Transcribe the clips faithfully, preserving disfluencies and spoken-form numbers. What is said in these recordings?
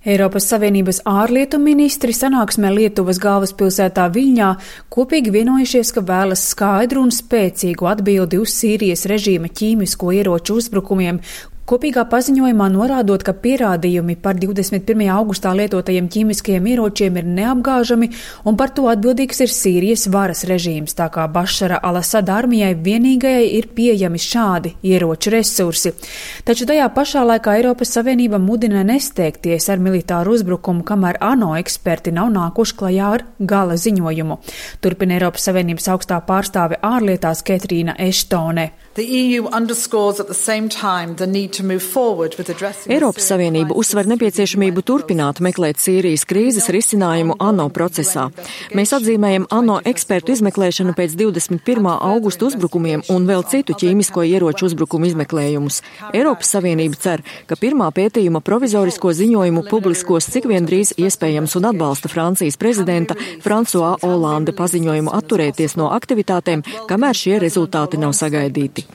Eiropas Savienības ārlietu ministri sanāksmē Lietuvas galvaspilsētā Viļņā kopīgi vienojušies, ka vēlas skaidru un spēcīgu atbildi uz Sīrijas režīma ķīmisko ieroču uzbrukumiem, kopīgā paziņojumā norādot, ka pierādījumi par divdesmit pirmajā augustā lietotajiem ķīmiskajiem ieročiem ir neapgāžami un par to atbildīgs ir Sīrijas varas režīms, tā kā Bašara al-Asada armijai vienīgajai ir pieejami šādi ieroču resursi. Taču tajā pašā laikā Eiropas Savienība mudina nesteigties ar militāru uzbrukumu, kamēr ANO eksperti nav nākuši klajā ar gala ziņojumu. Turpina Eiropas Savienības augstā pārstāve ārlietās Ketrīna Eštone. Eiropas Savienība uzsver nepieciešamību turpināt meklēt Sīrijas krīzes risinājumu ANO procesā. Mēs atzīmējam ANO ekspertu izmeklēšanu pēc divdesmit pirmā augusta uzbrukumiem un vēl citu ķīmisko ieroču uzbrukumu izmeklējumus. Eiropas Savienība cer, ka pirmā pētījuma provizorisko ziņojumu publiskos cik vien drīz iespējams un atbalsta Francijas prezidenta François Hollande paziņojumu atturēties no aktivitātēm, kamēr šie rezultāti nav sagaidīti.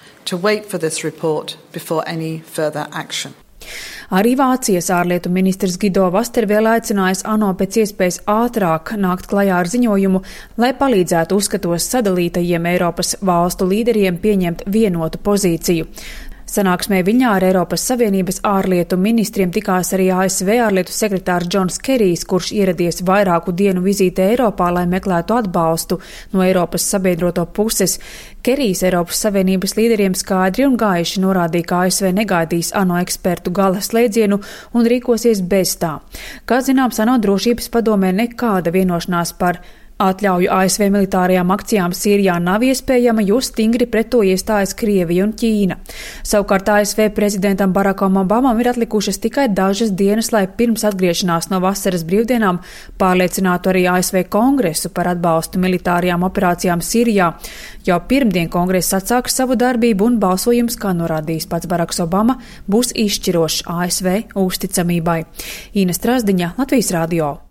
Arī Vācijas ārlietu ministrs Guido Westerwelle aicinājis ANO pēc iespējas ātrāk nākt klajā ar ziņojumu, lai palīdzētu uzskatos sadalītajiem Eiropas valstu līderiem pieņemt vienotu pozīciju. Sanāksmē Viļņā ar Eiropas Savienības ārlietu ministriem tikās arī A S V ārlietu sekretārs Džons Kerijs, kurš ieradies vairāku dienu vizītē Eiropā, lai meklētu atbalstu no Eiropas sabiedroto puses. Kerijs Eiropas Savienības līderiem skaidri un gaiši norādīja, ka A S V negaidīs ANO ekspertu gala slēdzienu un rīkosies bez tā. Kā zināms, ANO drošības padomē nekāda vienošanās par atļauju A S V militārajām akcijām Sīrijā nav iespējama, jo stingri pret to iestājas Krievija un Ķīna. Savukārt A S V prezidentam Barakam Obamam ir atlikušas tikai dažas dienas, lai pirms atgriešanās no vasaras brīvdienām pārliecinātu arī A S V kongresu par atbalstu militārajām operācijām Sīrijā. Jau pirmdien kongress atsāks savu darbību un balsojums, kā norādījis pats Baraks Obama, būs izšķirošs A S V uzticamībai. Īna Strazdiņa, Latvijas radio.